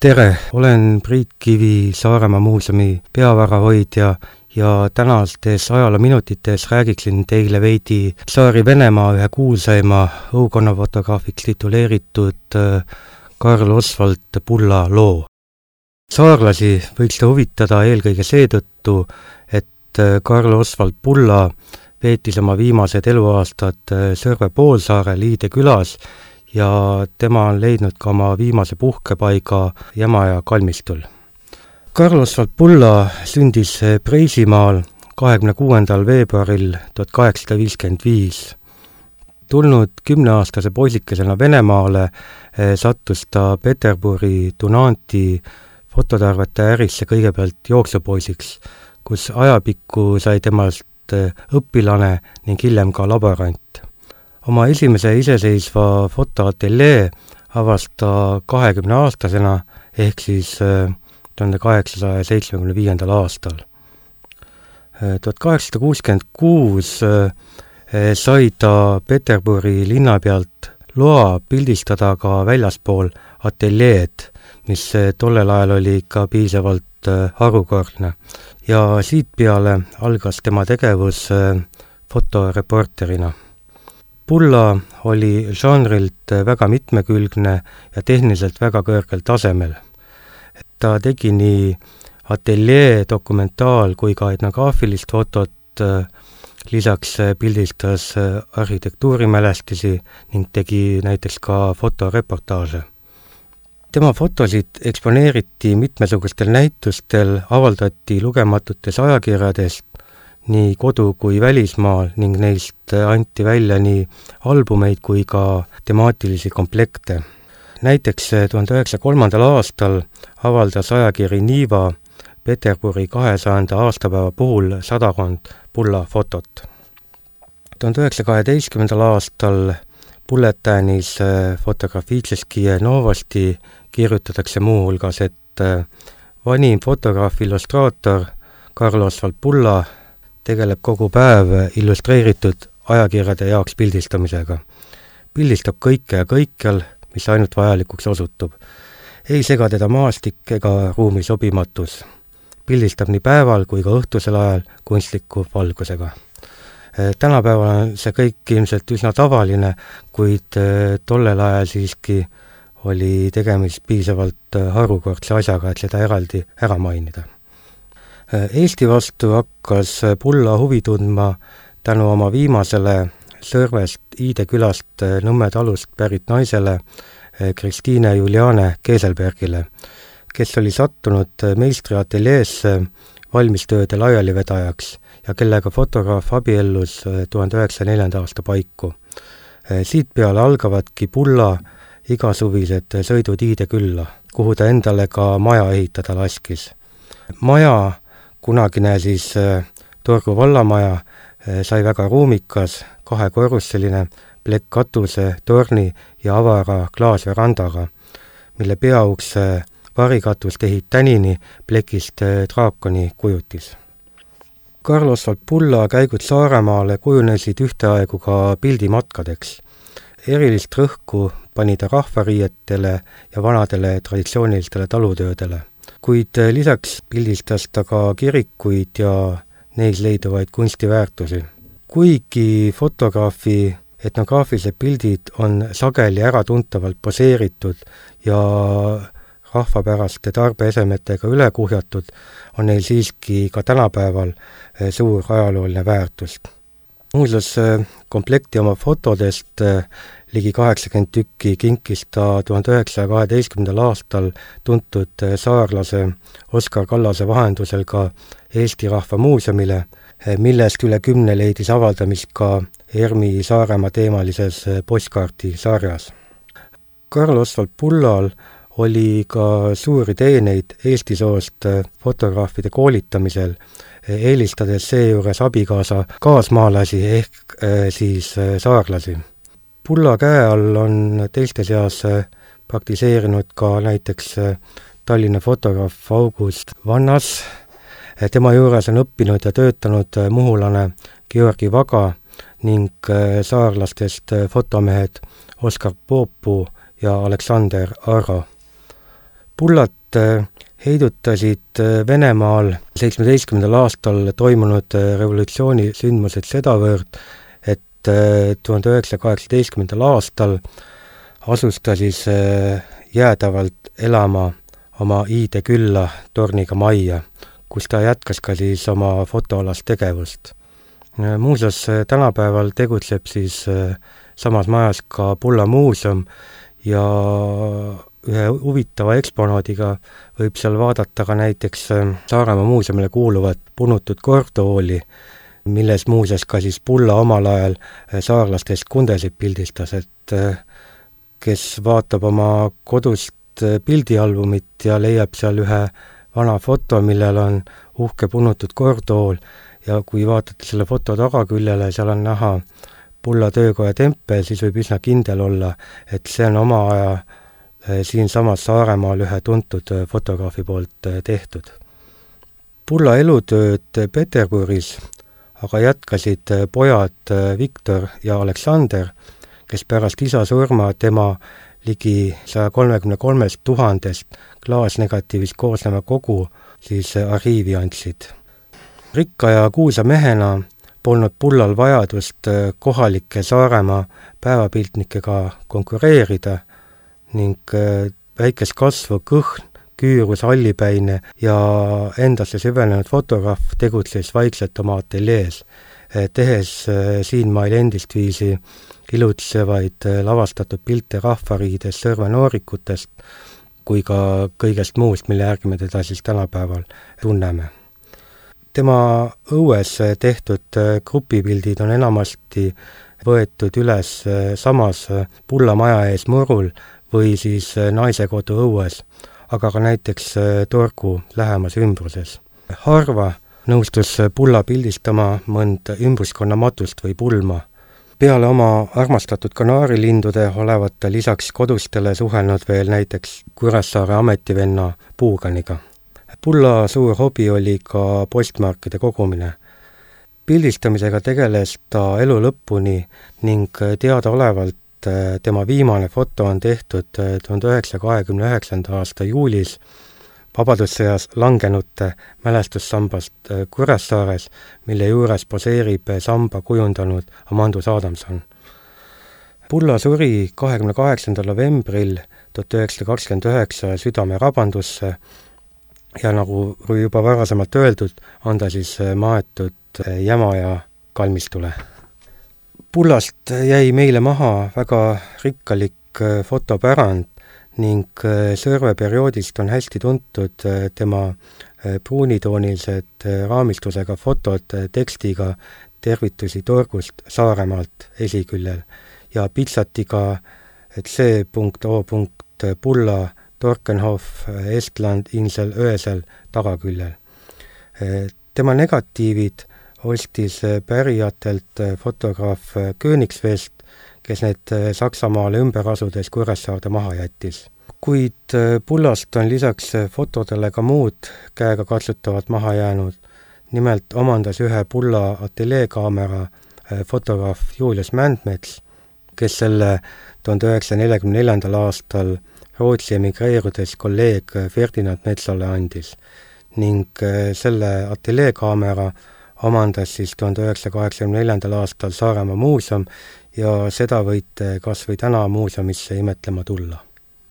Tere, olen Priit Kivi, Saaremaa muuseumi peavarahoidja ja tänastes ajaloominutites räägiksin teile veidi Tsaari-Venemaa ühe kuulsaima õukonnafotograafiks tituleeritud Karl Oswald Pulla loo. Saarlasi võiks ta huvitada eelkõige seetõttu, et Karl Oswald Pulla veetis oma viimased eluaastad Sõrve poolsaarel Iide külas ja tema on leidnud ka oma viimase puhkepaiga Jämaja kalmistul. Karl Oswald Pulla sündis Preisimaal 26. veebruaril 1855. Tulnud 10-aastase poisikesena Venemaale sattus ta Peterburi Dunanti fototarvete ärisse kõigepealt jooksupoisiks, kus ajapikku sai temast õpilane ning hiljem ka laborant. Oma esimese iseseisva fotoateljee avas ta 20-aastasena ehk siis 1875. aastal. 1866 sai ta Peterburi linna pealt loa pildistada ka väljaspool ateljeed, mis tollel ajal oli ikka piisavalt harukordne. Ja siit peale algas tema tegevus fotoreporterina. Pulla oli žanrilt väga mitmekülgne ja tehniliselt väga kõrgel tasemel. Ta tegi nii ateljee, dokumentaal kui ka etnograafilist fotot, lisaks pildistas arhitektuurimälestisi ning tegi näiteks ka fotoreportaaže. Tema fotosid eksponeeriti mitmesugustel näitustel, avaldati lugematutes ajakirjadest, nii kodu- kui välismaal ning neist anti välja nii albumeid kui ka temaatilisi komplekte. Näiteks 1903. aastal avaldas ajakiri Niva Peterburi 200. aastapäeva puhul 100 Pulla fotot. 1912. aastal Bulletäänis Fotografiitseski Novosti kirjutatakse muuhulgas, et vanim fotograaf-illustraator Karl Oswald Pulla tegeleb kogu päev illustreeritud ajakirjade jaoks pildistamisega. Pildistab kõike ja kõikjal, mis ainult vajalikuks osutub. Ei sega teda maastik ega ruumi sobimatus. Pildistab nii päeval kui ka õhtusel ajal kunstliku valgusega. Tänapäeval on see kõik ilmselt üsna tavaline, kuid tollel ajal siiski oli tegemist piisavalt harukordse asjaga, et seda eraldi ära mainida. Eesti vastu hakkas Pulla huvi tundma tänu oma viimasele Sõrvest Iide külast Nõmme talust pärit naisele Kristiine Juliane Keeselbergile, kes oli sattunud meistriateljeesse valmistööde laialivedajaks ja kellega fotograaf abiellus 1904. aasta paiku. Siit peale algavadki Pulla igasuvised sõidud Iide külla, kuhu ta endale ka maja ehitada laskis. Maja, kunagine siis Torgu vallamaja, sai väga ruumikas, 2-korruseline plekkkatuse, torni ja avara klaasverandaga, mille peaukse varikatus tehib tänini plekist draakoni kujutis. Karl Oswald Pulla käigud Saaremaale kujunesid ühteaegu ka pildimatkadeks. Erilist rõhku pani ta rahvariietele ja vanadele traditsioonilistele talutöödele. Kuid lisaks pildistas ta ka kirikuid ja neis leiduvaid kunstiväärtusi. Kuigi fotograafi etnograafilised pildid on sageli äratuntavalt poseeritud ja rahvapäraste tarbeesemetega üle kuhjatud, on neil siiski ka tänapäeval suur ajalooline väärtus. Muuseas, komplekti oma fotodest ligi 80 tükki kinkis ta 1912. aastal tuntud saarlase Oskar Kallase vahendusel ka Eesti Rahva Muuseumile, millest üle 10 leidis avaldamist ka ERMi Saaremaa teemalises postkaarti sarjas. Karl Oswald Pullal oli ka suuri teeneid Eesti soost fotograafide koolitamisel, eelistades seejuures abikaasa kaasmaalasi ehk siis saarlasi. Pulla käe all on teiste seas praktiseerinud ka näiteks Tallinna fotograaf August Vannas. Tema juures on õppinud ja töötanud muhulane Georgi Vaga ning saarlastest fotomehed Oskar Poopu ja Aleksander Arro. Pullat heidutasid Venemaal 17. aastal toimunud revolutsiooni sündmused sedavõrd, et 1918. aastal asus ta siis jäädavalt elama oma iide külla Torniga majja, kus ta jätkas ka siis oma fotoalast tegevust. Muuseas, tänapäeval tegutseb siis samas majas ka Pulla muuseum ja ühe huvitava eksponaadiga võib seal vaadata ka näiteks Saaremaa muuseumile kuuluvat punutud kordtooli, milles muuseas ka siis Pulla omal ajal saarlastest kundesid pildistas, et kes vaatab oma kodust pildialbumit ja leiab seal ühe vana foto, millel on uhke punutud kordtool ja kui vaatate selle foto tagaküljele, seal on näha Pulla töökoja tempel, siis võib üsna kindel olla, et see on oma aja siinsamas Saaremaal ühe tuntud fotograafi poolt tehtud. Pulla elutööd Peterburis aga jätkasid pojad Viktor ja Aleksander, kes pärast isa surma tema ligi 133 000 klaasnegatiivist koosneva kogu siis arhiivi andsid. Rikka ja kuulsa mehena polnud Pullal vajadust kohalike Saaremaa päevapiltnikega konkureerida ning väikest kasvu kõhn, küürus, hallipäine ja endasse süvenenud fotograaf tegutses vaikselt oma ateljees, tehes siinmail endist viisi ilutsevaid lavastatud pilte rahvariidest, sõrvenoorikutest kui ka kõigest muust, mille järgi me teda siis tänapäeval tunneme. Tema õues tehtud grupipildid on enamasti võetud üles samas Pulla maja ees murul või siis naisekodu õues, aga ka näiteks torgu lähemas ümbruses. Harva nõustus Pulla pildistama mõnd ümbruskonna matust või pulma. Peale oma armastatud kanaarilindude olevat ta lisaks kodustele suhelnud veel näiteks Kuressaare ametivenna Puuganiga. Pulla suur hobi oli ka postmarkide kogumine. Pildistamisega tegeles ta elu lõpuni ning teadaolevalt tema viimane foto on tehtud 1929. aasta juulis Vabadussõjas langenute mälestussambast Kuressaares, mille juures poseerib samba kujundanud Amandus Adamson. Pulla suri 28. novembril 1929 südamerabandusse ja nagu juba varasemalt öeldud, on ta siis maetud Jämaja kalmistule. Pullast jäi meile maha väga rikkalik fotopärand ning sõrveperioodist on hästi tuntud tema pruunitoonilised raamistusega fotod tekstiga tervitusi torgust Saaremaalt esiküljel ja pitsatiga, et C.O. Pulla Torkenhof Estland Insel Öösel tagaküljel. Tema negatiivid ostis pärijatelt fotograaf Königsvest, kes need Saksamaale ümber asudes Kuressaarde maha jättis. Kuid Pullast on lisaks fotodele ka muud käega katsutavat maha jäänud. Nimelt omandas ühe Pulla ateljeekaamera fotograaf Julius Mändmets, kes selle 1944. aastal Rootsi emigreerudes kolleeg Ferdinand Metsale andis ning selle ateljeekaamera omandas siis 1984. aastal Saaremaa muuseum ja seda võite kas või täna muuseumisse imetlema tulla.